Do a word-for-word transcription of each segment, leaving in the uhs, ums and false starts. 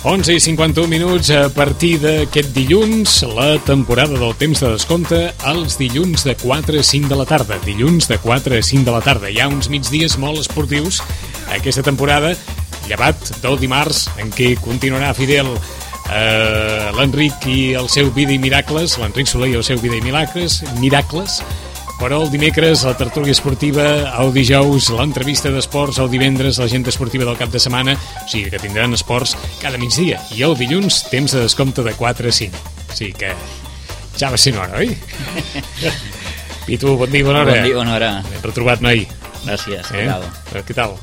onze i cinquanta-un minuts a partir d'aquest dilluns, la temporada del temps de descompte els dilluns de quatre a cinc de la tarda. Dilluns de quatre a cinc de la tarda. Hi ha uns migdies molt esportius aquesta temporada, llevat del dimarts, en què continuarà fidel eh, l'Enric i el seu Vida i Miracles, l'Enric Soler i el seu Vida i Miracles, Miracles, però el dimecres la tertúlia esportiva, el dijous l'entrevista d'esports, el divendres l'agenda esportiva del cap de setmana, o sigui que tindran esports cada migdia, i el dilluns temps de descompte de quatre a cinc. O sigui que ja va ser una hora, oi? Pitu, bon dia, bona hora. Bon dia, bona hora. Ben retrobat, noi. Gràcies, eh? què tal? Què tal?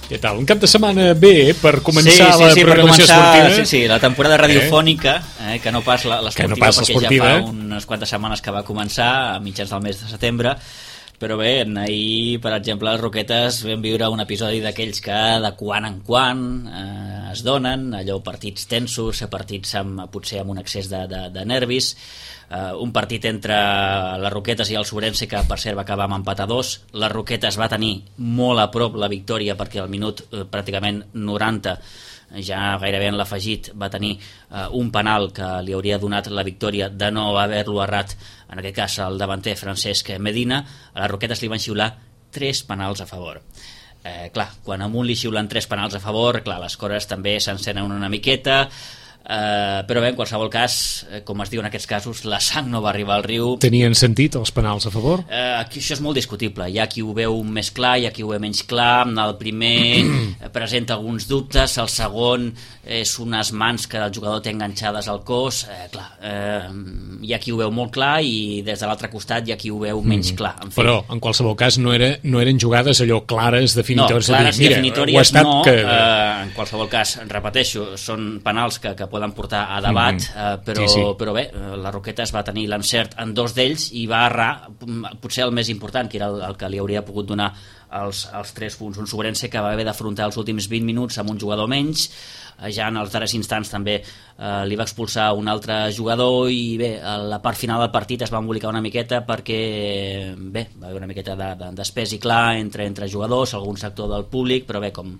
Què tal? Un cap de setmana bé per començar sí, sí, la sí, programació per començar, esportiva? Sí, sí, la temporada radiofònica, eh, que no pas l'esportiva, no pas perquè l'esportiva, ja fa unes quantes setmanes que va començar, a mitjans del mes de setembre, però bé, ahir, per exemple, les Roquetes vam viure un episodi d'aquells que de quan en quan eh, es donen, allò partits tensos, partits amb, potser amb un excés de, de, de nervis, Uh, un partit entre les Roquetes i el Sobrense que per cert va acabar amb empat a dos. Les Roquetes va tenir molt a prop la victòria perquè al minut uh, pràcticament noranta, ja gairebé en l'afegit, va tenir uh, un penal que li hauria donat la victòria de no haver-lo errat, en aquest cas el davanter Francesc Medina. A les Roquetes li van xiular tres penals a favor. Eh, clar, quan a un li xiulen tres penals a favor, clar, les coses també s'encenen una miqueta. Uh, però bé, en qualsevol cas, com es diu en aquests casos, la sang no va arribar al riu. Tenien sentit els penals a favor? Uh, aquí això és molt discutible. Hi ha qui ho veu més clar, hi ha qui ho veu menys clar. El primer presenta alguns dubtes, el segon és unes mans que el jugador té enganxades al cos. Uh, clar, uh, hi ha qui ho veu molt clar i des de l'altre costat hi ha qui ho veu menys clar. En fi. Però, en qualsevol cas, no, era, no eren jugades allò clares, definitòries. No, clares i definitòries no. Que... Uh, en qualsevol cas, repeteixo, són penals que, que poden portar a debat, mm -hmm. uh, però, sí, sí. però bé, la Roquetes va tenir l'encert en dos d'ells i va errar potser el més important, que era el, el que li hauria pogut donar els, els tres punts. Un Sobrense que va haver d'afrontar els últims vint minuts amb un jugador menys, ja en els darrers instants també eh, li va expulsar un altre jugador i bé, a la part final del partit es va embolicar una miqueta perquè bé, va haver una miqueta de, de, d'espès i clar entre, entre jugadors, algun sector del públic, però bé, com,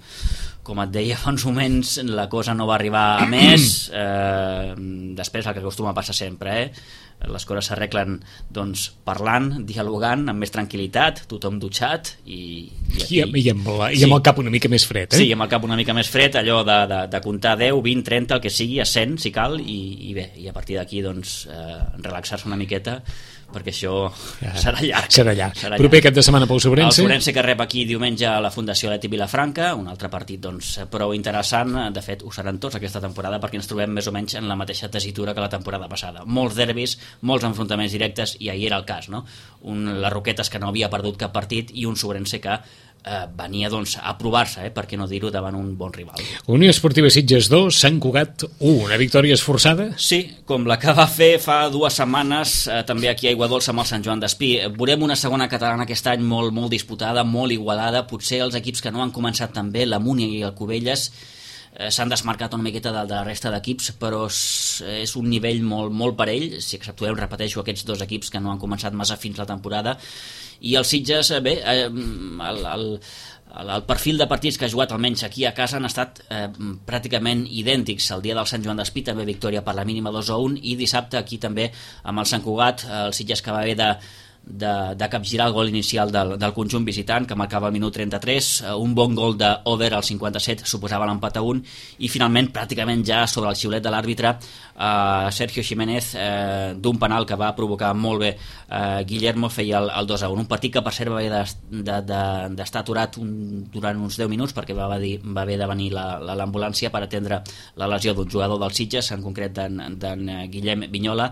com et deia fa uns moments, la cosa no va arribar a més. eh, després el que acostuma a passar sempre, eh? Les coses s'arreglen doncs, parlant, dialogant, amb més tranquil·litat, tothom dutxat i, i, aquí... I, i, amb la, i amb el cap una mica més fred, eh? Sí, amb el cap una mica més fred, allò de, de, de comptar deu, vint, trenta, el que sigui, a cent si cal, i, i bé, i a partir d'aquí doncs, eh, relaxar-se una miqueta, perquè això ja, serà llarg. Serà llarg. Serà Proper llarg. Cap de setmana pel Sobrense. El Sobrense que rep aquí diumenge a la Fundació Leti Vilafranca, un altre partit doncs, prou interessant, de fet ho seran tots aquesta temporada perquè ens trobem més o menys en la mateixa tessitura que la temporada passada. Molts derbis, molts enfrontaments directes, i ahir era el cas, no? Un, les Roquetes que no havia perdut cap partit i un Sobrense que eh, venia doncs, a provar-se, eh, per què no dir-ho, davant un bon rival. Unió Esportiva Sitges dos, Sant Cugat u, una victòria esforçada? Sí, com la que va fer fa dues setmanes eh, també aquí a Aiguadolça amb el Sant Joan d'Espí. Veurem una segona catalana aquest any molt, molt disputada, molt igualada. Potser els equips que no han començat tan bé, la Múnia i el Cubelles, eh, s'han desmarcat una miqueta de, de la resta d'equips, però és, és un nivell molt, molt parell, si exceptuem, repeteixo, aquests dos equips que no han començat massa fins la temporada. I el Sitges, bé, eh, el, el, el perfil de partits que ha jugat almenys aquí a casa han estat eh, pràcticament idèntics. El dia del Sant Joan d'Espí també victòria per la mínima dos a un, i dissabte aquí també amb el Sant Cugat, el Sitges que va haver de de, de capgirar el gol inicial del, del conjunt visitant, que marcava el minut trenta-tres, un bon gol d'Over al cinquanta-set suposava l'empat a un, i finalment pràcticament ja sobre el xiulet de l'àrbitre eh, Sergio Jiménez, eh, d'un penal que va provocar molt bé eh, Guillermo, feia el, el dos a un. Un partit que per cert va haver d'estar de, de, de aturat un, durant uns deu minuts perquè va, dir, va haver de venir l'ambulància per atendre la lesió d'un jugador del Sitges, en concret d'en Guillem Vinyola.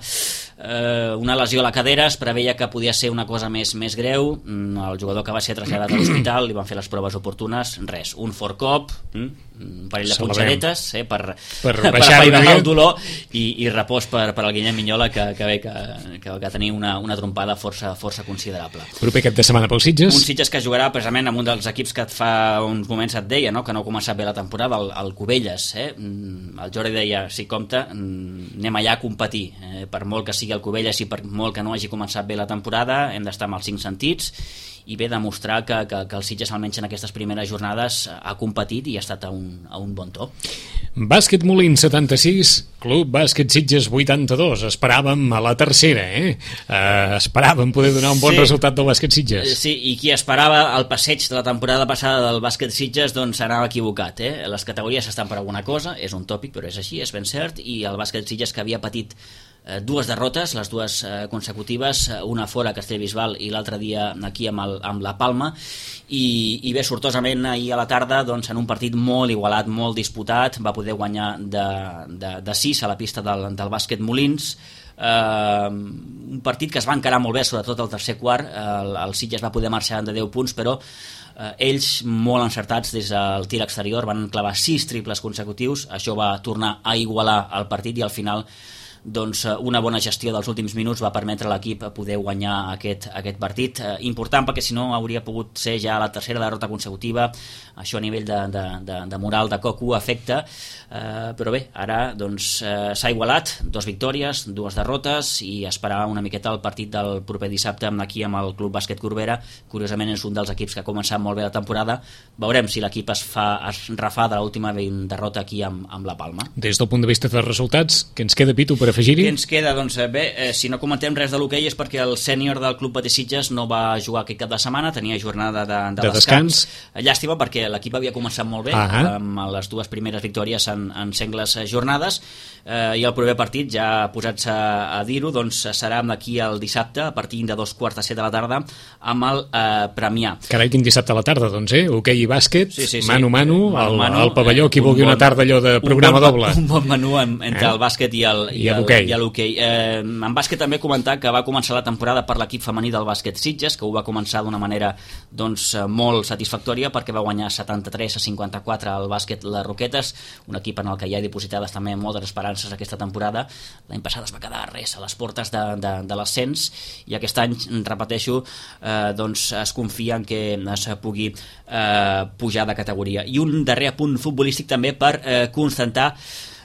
Eh, una lesió a la cadera, es preveia que podia ser una cosa més, més greu. El jugador que va ser traslladat a l'hospital, li van fer les proves oportunes, res, un fort cop, un parell de punxadetes eh, per, per, per afainar el dolor i, i repòs per, per al Guillem Vinyola, que, que bé que, que va tenir una, una trompada força, força considerable. Proper cap de setmana pel Sitges? Un Sitges que jugarà precisament amb un dels equips que fa uns moments et deia, no? Que no ha començat bé la temporada, el, el Cubelles. Eh? El Jordi deia, si compta, anem allà a competir, eh? Per molt que sigui el Cubelles i per molt que no hagi començat bé la temporada, hem d'estar amb els cinc sentits i bé, demostrar que, que, que el Sitges almenys en aquestes primeres jornades ha competit i ha estat a un, a un bon to. Bàsquet Molins setanta-sis, Club Bàsquet Sitges vuitanta-dos. Esperàvem a la tercera, eh? Uh, esperàvem poder donar un bon sí. resultat del Bàsquet Sitges. Sí, i qui esperava el passeig de la temporada passada del Bàsquet Sitges, doncs s'anava equivocat, eh? Les categories estan per alguna cosa, és un tòpic, però és així, és ben cert, i el Bàsquet Sitges, que havia patit eh, dues derrotes, les dues eh, consecutives, una fora a Castellbisbal i l'altre dia aquí amb, el, amb la Palma, i, i bé, sortosament ahir a la tarda, doncs, en un partit molt igualat, molt disputat, va poder guanyar de, de, de sis a la pista del, del Bàsquet Molins. Uh, un partit que es va encarar molt bé, sobretot el tercer quart. el, el Sitges va poder marxar de deu punts, però uh, ells molt encertats des del tir exterior, van clavar sis triples consecutius, això va tornar a igualar el partit i al final doncs una bona gestió dels últims minuts va permetre a l'equip poder guanyar aquest, aquest partit, eh, important perquè si no hauria pogut ser ja la tercera derrota consecutiva, això a nivell de, de, de, de moral de Cocu afecta, eh, però bé, ara doncs eh, s'ha igualat, dos victòries, dues derrotes i esperar una miqueta el partit del proper dissabte aquí amb el Club Bàsquet Corbera. Curiosament és un dels equips que ha començat molt bé la temporada, veurem si l'equip es fa es refà de l'última derrota aquí amb, amb la Palma. Des del punt de vista de resultats, què ens queda, Pitu, per afegir-hi? Què ens queda? Doncs bé, eh, si no comentem res de l'hoquei és perquè el sènior del Club Bàsquet Sitges no va jugar aquest cap de setmana, tenia jornada de, de, de descans. descans. Llàstima perquè l'equip havia començat molt bé, ah amb les dues primeres victòries en, en sengles jornades, eh, i el proper partit, ja posats a, a dir-ho, doncs serà d'aquí el dissabte, a partir de dos quarts de set de la tarda, amb el eh, Premià. Carai, quin dissabte a la tarda, doncs, eh? Hoquei i bàsquet, sí, sí, sí. mano-mano, al, mano, al pavelló, qui vulgui bon, una tarda allò de programa un bon, doble. Un bon menú en, entre eh? el bàsquet i el, i, I el, l'hoquei. I l'hoquei. Eh, en bàsquet també comentar que va començar la temporada per l'equip femení del Bàsquet Sitges, que ho va començar d'una manera doncs, molt satisfactòria perquè va guanyar setanta-tres a cinquanta-quatre al bàsquet Les Roquetes, un equip en el que hi ha dipositades també moltes esperances aquesta temporada. L'any passat es va quedar res a les portes de, de, de l'ascens i aquest any, repeteixo, eh, doncs es confia en que es pugui eh, pujar de categoria. I un darrer punt futbolístic també per eh, constatar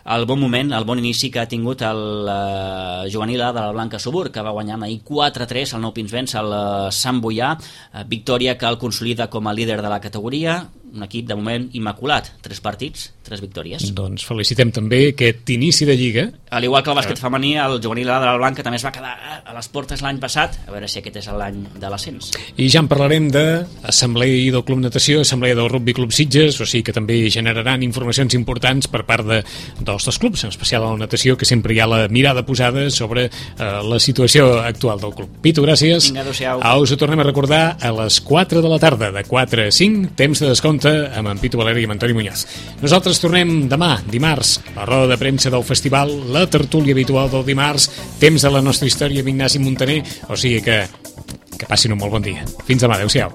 el bon moment, el bon inici que ha tingut el uh, juvenil A de la Blanca Subur, que va guanyar ahir quatre a tres al Nou Pinsbens al uh, Sant Boià, uh, victòria que el consolida com a líder de la categoria, un equip de moment immaculat, tres partits, tres victòries. Doncs felicitem també aquest inici de Lliga. Al igual que el bàsquet femení, el juvenil A de la Blanca també es va quedar a les portes l'any passat, a veure si aquest és l'any de l'ascens. I ja en parlarem d'assemblea del Club Natació, assemblea del Rugby Club Sitges, o sigui que també generaran informacions importants per part de, dels dos clubs, en especial a la natació, que sempre hi ha la mirada posada sobre eh, la situació actual del club. Pitu, gràcies. Vinga, adéu-siau. Us ho tornem a recordar a les quatre de la tarda, de quatre a cinc, temps de descompte amb en Pitu Valeri i amb Antoni Muñoz. Nosaltres tornem demà, dimarts, la roda de premsa del festival, la tertúlia habitual del dimarts, temps de la nostra història amb Ignasi Montaner, o sigui que que passin un molt bon dia. Fins demà, adéu-siau.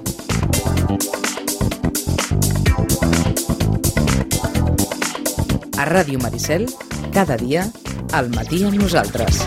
A Ràdio Maricel, cada dia, al matí amb nosaltres.